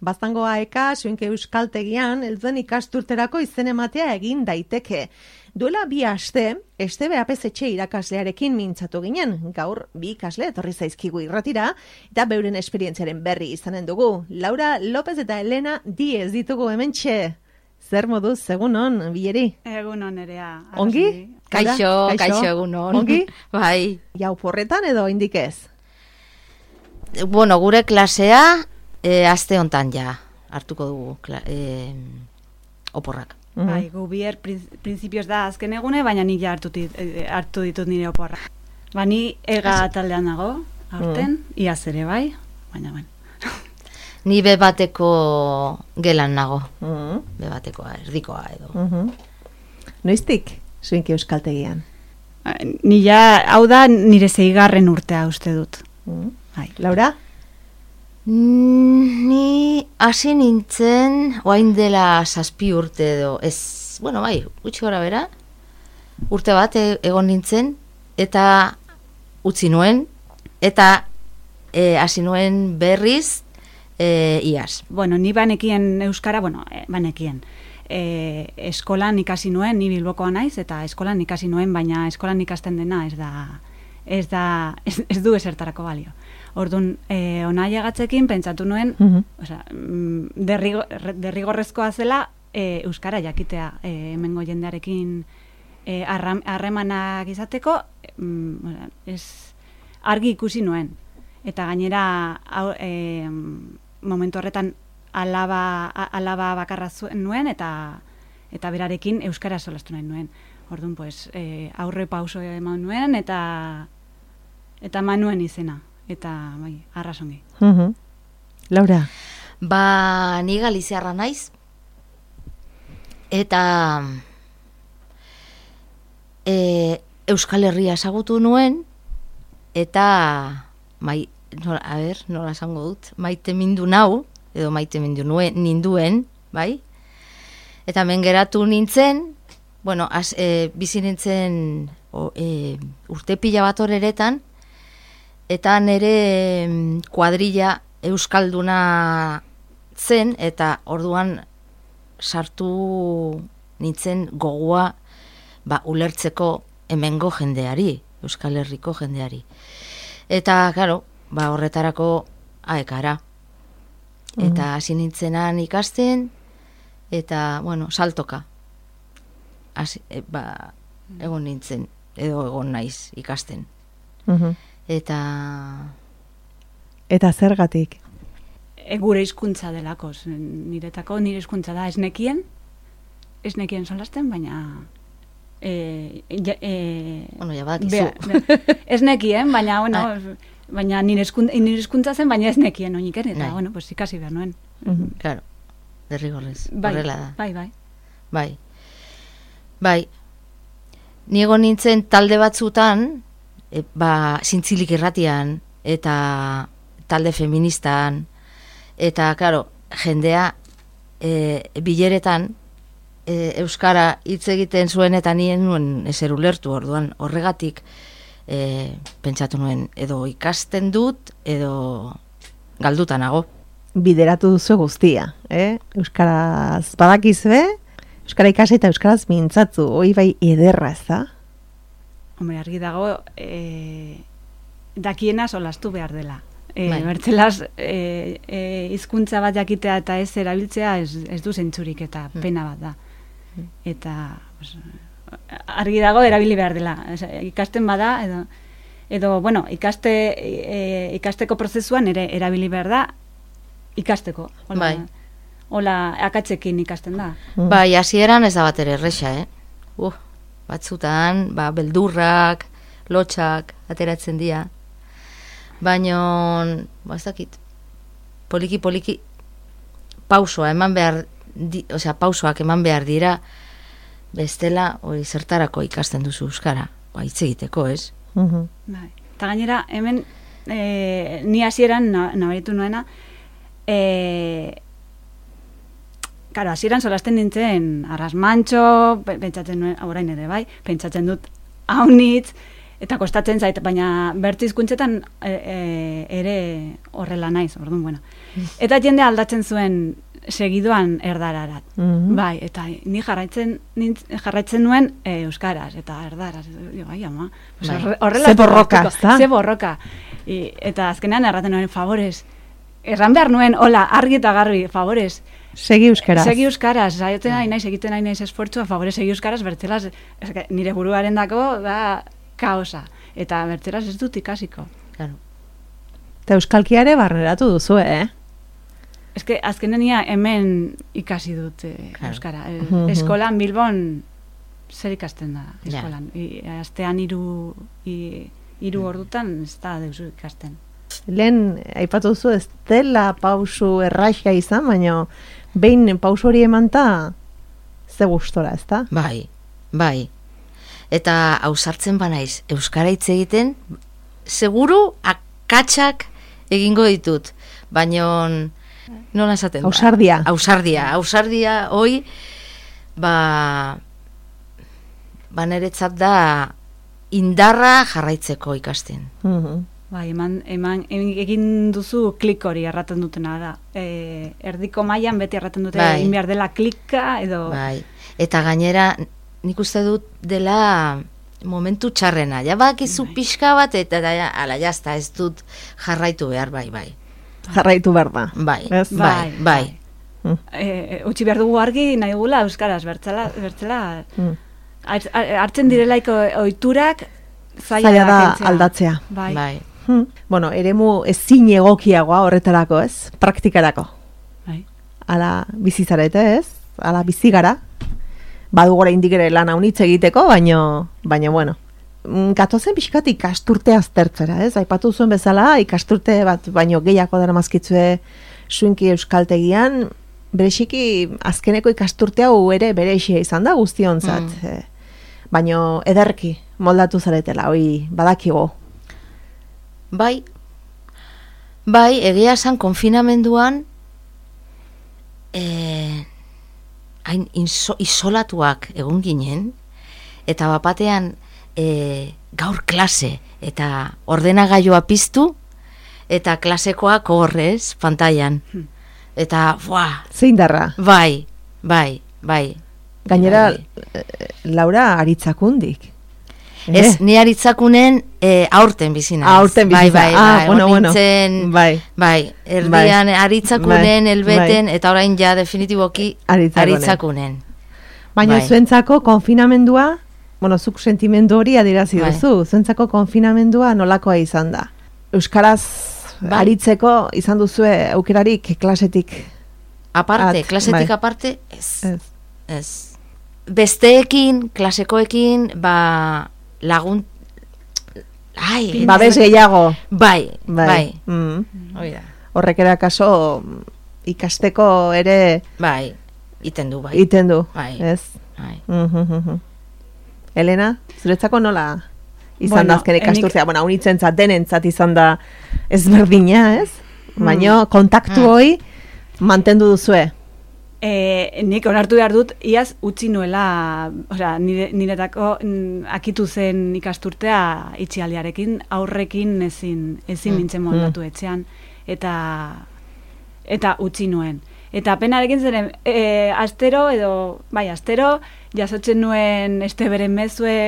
Baztangoa eka, Suenke Euskaltegian, heltzen ikasturterako izen ematea egin daiteke. Duela 2 aste, Estebe Apezetxe irakaslearekin mintzatu ginen. Gaur 2 ikasle etorri zaizkigu irratira, eta beuren esperientziaren berri izanen dugu. Laura López eta Elena Diez ditugu hementxe. Zer moduz, egunon, Bileri? Egunon erea. Ongi? Kaixo, egunon. Ongi? Bai. Jau porretan edo indik ez? Bueno, gure klasea aste hontan ja hartuko dugu oporrak. Bai, gu bier prinsipioz da azken egune, baina nik ja hartu ditut nire oporra. Ba, ni ega taldean nago, aurten, iaz ere bai, baina ben. Ni bebateko gelan nago. Bebatekoa, erdikoa edo. Noiztik, Suenke Euskaltegian? Ni ja, hau da nire 6. urtea uste dut. Bai. Laura? Ni hasi nintzen, oain dela 7 urte edo, ez, bueno, bai, gutxi gora bera, urte bat egon nintzen, eta utzi nuen, eta hasi nuen berriz iaz. Bueno, ni banekien euskara, banekien. Eskolan ikasi nuen, ni Bilbokoa naiz, eta eskolan ikasi nuen, baina eskolan ikasten dena ez du esertarako balio. Orduan, ona llegatzekin pentsatu nuen, derrigorrezkoa zela euskara jakitea hemengo jendearekin harremanak izateko, argi ikusi nuen. Eta gainera, momentu horretan alaba bakarra nuen, eta berarekin euskara solastu nahi nuen. Orduan, aurre pauso eman nuen, eta eman nuen izena. Eta, bai, arrasongi. Laura? Ba, ni galiziarra naiz. Eta Euskal Herria ezagutu nuen, eta nola esango dut, maite mindu nau, edo maite mindu ninduen, bai? Eta hemen geratu nintzen, bueno, bizi nintzen urte pila bat horeretan, eta nire kuadrilla euskalduna zen, eta orduan sartu nintzen gogoa ulertzeko hemengo jendeari, Euskal Herriko jendeari. Eta, claro, horretarako aekara. Eta hasi nintzenan ikasten, eta, bueno, saltoka. Egon nintzen, edo egon naiz ikasten. Eta zergatik? Gure hizkuntza delako, nire hizkuntza da ez nekien solasten, baina bueno, ja badakizu. Ez nekien, baina, bueno, baina nire hizkuntza zen, baina ez nekien oinik ere, eta, bueno, pues ikasi behar nuen. Claro, derrigorrez, horrela da. Bai. Ni egon nintzen talde batzutan, zintzilik irratian, eta talde feministan, eta, claro, jendea bileretan euskara hitz egiten zuen, eta nien nuen ezer ulertu, orduan horregatik pentsatu nuen, edo ikasten dut, edo galduta nago. Bideratu duzu guztia, euskaraz badakizue, euskara ikasi eta euskaraz mintzatzu, hoi bai ederra ez da? Hombre, argi dago, dakiena solastu behar dela. Bertzelaz, hizkuntza bat jakitea eta ez erabiltzea ez du zentzurik, eta pena bat da. Eta argi dago erabili behar dela. Ikasten bada, edo bueno, ikasteko prozesuan ere erabili behar da, ikasteko. Hola, akatzekin ikasten da. Bai, hasieran ez da bat ere erresa, batzutan, beldurrak, lotxak, ateratzen dira. Baina, ez dakit, poliki, pausoak eman behar dira, bestela, zertarako ikasten duzu euskara, hitz egiteko, ez? Eta gainera, hemen, ni hasieran nabaritu nuena, Karo, hasieran solasten nintzen arrasmantxo, pentsatzen nuen, orain ere bai, pentsatzen dut haunitz, Eta kostatzen zait, baina bertze hizkuntzetan ere horrela naiz, orduan, bueno. Eta jende aldatzen zuen segidoan erdararat. Bai, eta ni jarraitzen nuen euskaraz eta erdaraz. Bai, ama. Horrela ze borroka, ezta? Ze borroka. Eta azkenean erraten nuen, favorez, erran behar nuen, hola, argi eta garbi, favorez, segi euskaraz. Segi euskaraz, zaioten nahi naiz, egiten nahi naiz esfortzua, favorez, segi euskaraz, bertzelaz, nire buruaren dako, da, kaosa. Eta bertzelaz ez dut ikasiko. Claro. Eta euskalkiare barneratu duzu, Eske, azkenenia hemen ikasi dut euskara. Eskolan, Bilbon, zer ikasten da, eskolan. Astean hiru ordutan, ez da deuzu ikasten. Lehen, aipatu duzu, ez dela pausu erraixia izan, baina behin pausu hori emanta, ze gustora, ez da? Bai. Eta ausartzen banaiz, euskara hitz egiten, seguru akatsak egingo ditut, baina nola esaten da? Ausardia, hoi, niretzat da indarra jarraitzeko ikasten. Bai, egin duzu klik hori erraten dutena da. Erdiko mailan beti erraten dute egin behar dela klika edo... Bai, eta gainera nik uste dut dela momentu txarrena. Ja bakizu pixka bat eta ala jazta ez dut jarraitu behar, bai. Jarraitu behar da. Bai. Utsi behar dugu argi nahi gula euskaraz, bertzela hartzen direlaiko ohiturak zaila da aldatzea. Bai. Bueno, eremu ezin egokiagoa horretarako, ez? Praktikarako. Bai. Ala bizizarete, ez? Ala bizigara. Badu gora indik ere lan haunitz egiteko, baina bueno. Gatozen pixkat ikasturte aztertzera, ez? Aipatu zuen bezala, ikasturte bat, baino gehiago dara mazkitzue suinki euskaltegian, berexiki azkeneko ikasturte hau ere berexia izan da guztionzat. Baino ederki moldatu zaretela, hoi badakigo. Bai, egia esan konfinamenduan hain isolatuak egon ginen, eta bapatean gaur klase, eta ordenagailua piztu, eta klasekoak horrez, pantailan. Eta, zein darra? Bai. Gainera, Laura aritzakundik. Ez, ni aritzakunen aurten bizina. Aurten bizina. Bueno. Erdian aritzakunen, elbeten, eta orain ja definitiboki aritzakunen. Baina zuentzako konfinamendua, zuk sentimendu hori adierazi duzu, zuentzako konfinamendua nolakoa izan da? Euskaraz aritzeko izan duzue aukerarik klasetik? Klasetik aparte, ez. Besteekin, klasekoekin, lagun... Babes gehiago. Bai. Horrek era kaso ikasteko ere... Iten du. Ez? Elena, zuretzako nola izan da azken ikasturtzea? Haunitzen zat, denentzat izan da ezberdina, ez? Baina kontaktu hoi mantendu duzue. Nik onartu behar dut, iaz utzi nuela, niretako akitu zen ikasturtea itxialdiarekin, aurrekin ezin nintzen moldatu etxean, eta utzi nuen. Eta penarekin zeren, astero, jasotzen nuen beren mezue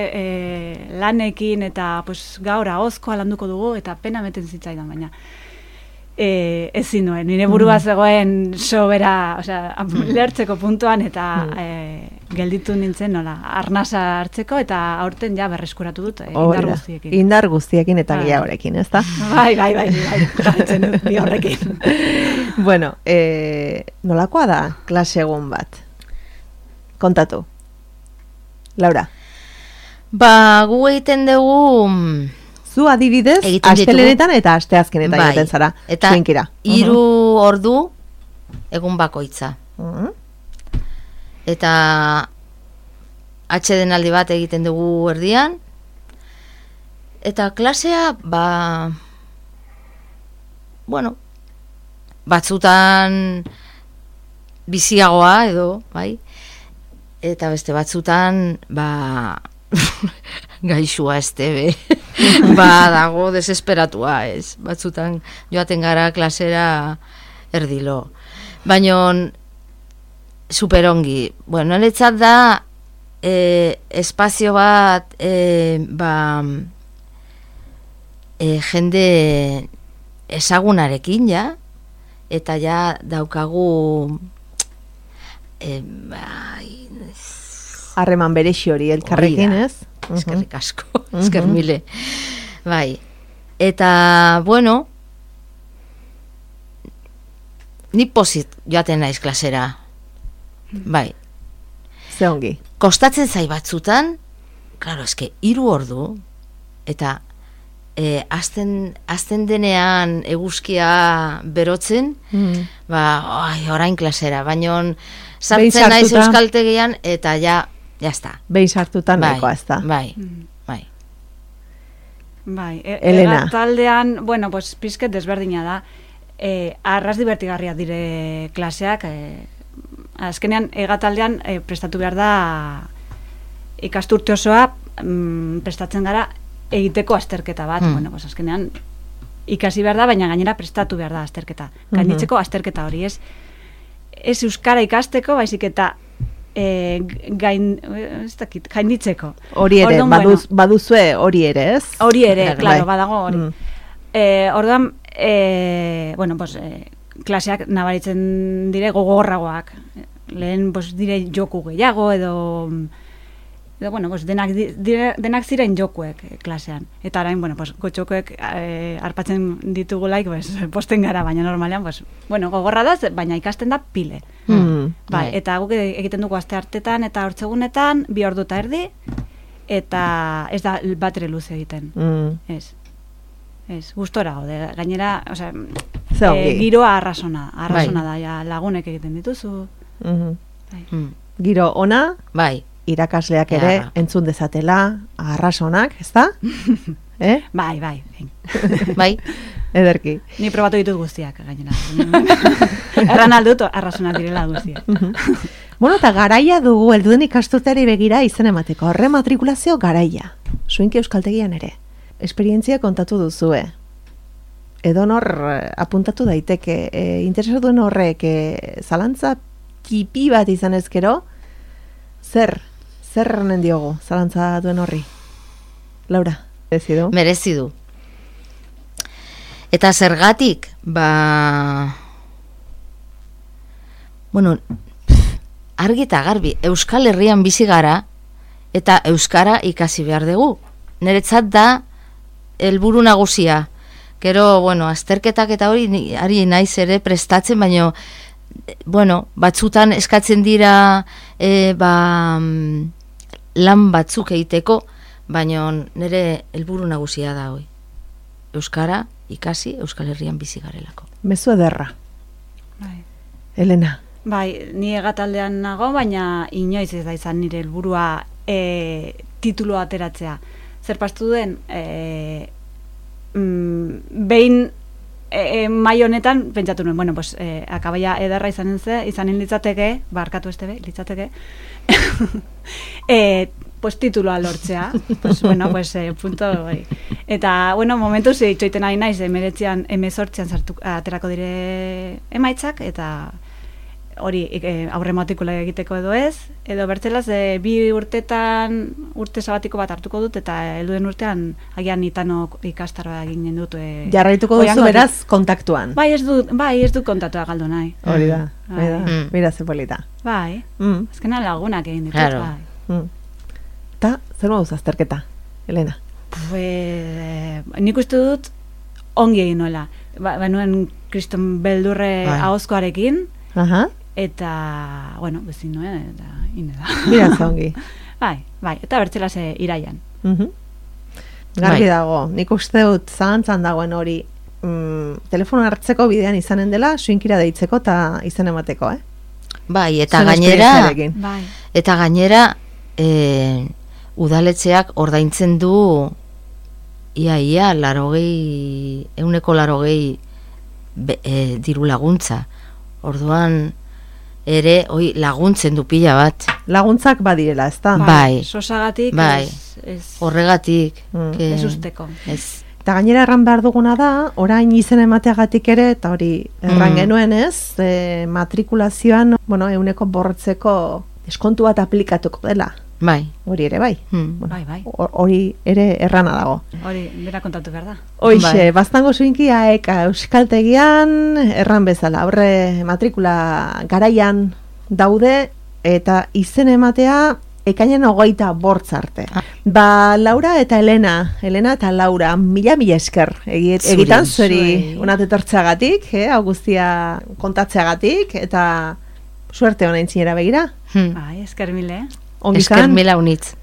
lanekin, eta gaur ahozkoa landuko dugu, eta pena meten zitzaidan, baina ezin nuen, nire burua zegoen sobera, lertzeko puntuan, eta gelditu nintzen nola, arnasa hartzeko, eta aurten ja berreskuratu dut, indar guztiekin. Indar guztiekin eta gehiagorekin, ez da? Bai, jarretzen dut, bi horrekin. Bueno, nolakoa da klase egun bat? Kontatu. Laura. Gu egiten dugu... Zu adibidez, astelenetan eta asteazkenetan egiten zara. Eta 3 ordu egun bakoitza. Eta atsedenaldi bat egiten dugu erdian. Eta klasea, batzutan biziagoa edo, bai? Eta beste batzutan, gaixua estebe. Dago desesperatua, ez. Batzutan joaten gara klasera erdilo. Baina superongi. Bueno, niretzat da espazio bat jende ezagunarekin ja, eta ja daukagu harreman berexi hori elkarrekin, ez? Eskerrik asko, esker mile. Bai, eta, bueno, ni pozit joaten naiz klasera. Bai. Ze ongi. Kostatzen zai batzutan, claro, eske 3 ordu, eta azten denean eguzkia berotzen, orain klasera, baina sartzen naiz euskaltegian, eta ja está. Behin sartutan nahikoa, ez da. Bai. Elena. Taldean, bueno, pues pizket desberdina da. Arras divertigarria dire klaseak, azkenean egataldean prestatu behar da ikasturte osoa prestatzen gara egiteko azterketa bat. Bueno, pues azkenean ikasi behar da, baina gainera prestatu behar da azterketa. Gainditzeko azterketa hori, ez euskara ikasteko, baizik eta gainditzeko. Hori ere, baduzue hori ere, ez? Hori ere, claro, badago hori. Orduan, bueno, pues, klaseak nabaritzen dire gogorragoak. Lehen, pues, dire joku gehiago, edo bueno, pues, denak ziren jokuek klasean. Eta orain, bueno, pues, gotxokuek arpatzen ditugulaik, pues, posten gara, baina normalean, pues, bueno, gogorra da, baina ikasten da pile. Bai, eta guk egiten dugu aste hartetan eta hortzegunetan 2 ordu eta erdi, eta ez da batere luze egiten. Ez, gustora gaude. Gainera, osea, giroa arrasona da, ja, lagunek egiten dituzu. Giro ona, bai, irakasleak ere entzun dezatela, arrasonak, ez da? Bai. Bai. Ederki. Ni probatu ditut guztiak, gainera. Erran aldut, arrasonak direla guztiak. Bueno, eta garaia dugu helduen ikasturteari begira izen emateko. Rematrikulazio garaia. Zuinki euskaltegian ere. Esperientzia kontatu duzue. Edonor apuntatu daiteke. Interesatu duen horrek zalantza tipi bat izan ezkero, zer erranen diogu zalantza duen horri? Laura, merezi du. Eta zergatik, bueno, argi eta garbi, Euskal Herrian bizi gara, eta euskara ikasi behar dugu. Niretzat da helburu nagusia. Gero, bueno, azterketak eta hori ari naiz ere prestatzen, baina, bueno, batzutan eskatzen dira lan batzuk egiteko, baina nire helburu nagusia da hoi. Euskara ikasi Euskal Herrian bizi garelako. Mezu ederra. Bai. Elena. Bai, ni egataldean nago, baina inoiz ez da izan nire helburua tituloa ateratzea. Zer pastu den, behin mai honetan pentsatu nuen, bueno, pues akabaia ederra izanen litzateke, barkatu estebe, litzateke, pues tituloa lortzea, pues bueno, pues punto, bai. Eta, bueno, momentuz itxoiten ari naiz, 18an aterako dire emaitzak, eta hori aurre matrikula egiteko edo ez, edo bertzelaz 2 urte sabatiko bat hartuko dut, eta helduen urtean agian itanok ikastaroa eginen dut. Jarraituko duzu beraz kontaktuan. Bai, ez du kontaktua galdu nahi. Hori da, mira ze polita. Bai, azkenan lagunak egin ditut, bai. Eta, zer moduz azterketa, Elena? Nik uste dut ongi egin nuela. Benuen kriston beldurre ahozkoarekin, eta, bueno, bezin nuen, eta ine da. Mira zongi. Bai, eta bertzelaz iraian. Garbi dago, nik uste dut zalantzan dagoen hori telefono hartzeko bidean izanen dela, suinkira deitzeko eta izen emateko, Bai, eta gainera udaletxeak ordaintzen du ia 180 diru laguntza. Orduan ere laguntzen du pila bat. Laguntzak badirela, ezta? Bai. Sosagatik Bai. Horregatik. Ez usteko. Ez. Eta gainera erran behar duguna da, orain izen emateagatik ere, eta hori erran genuen ez, matrikulazioan, bueno, 100% deskontu bat aplikatuko dela. Bai. Hori ere bai. Bai. Hori ere errana dago. Hori, bera kontatu behar da. Hoixe, baztango zuinkia euskaltegian erran bezala, horre matrikula garaian daude, eta izen ematea ekainen 25 arte. Ba, Laura eta Elena eta Laura, mila esker egitan zuri unat etortzeagatik, Augustia kontatzeagatik, eta suerte honain zinera begira. Bai, esker mile. Esker mila unitz.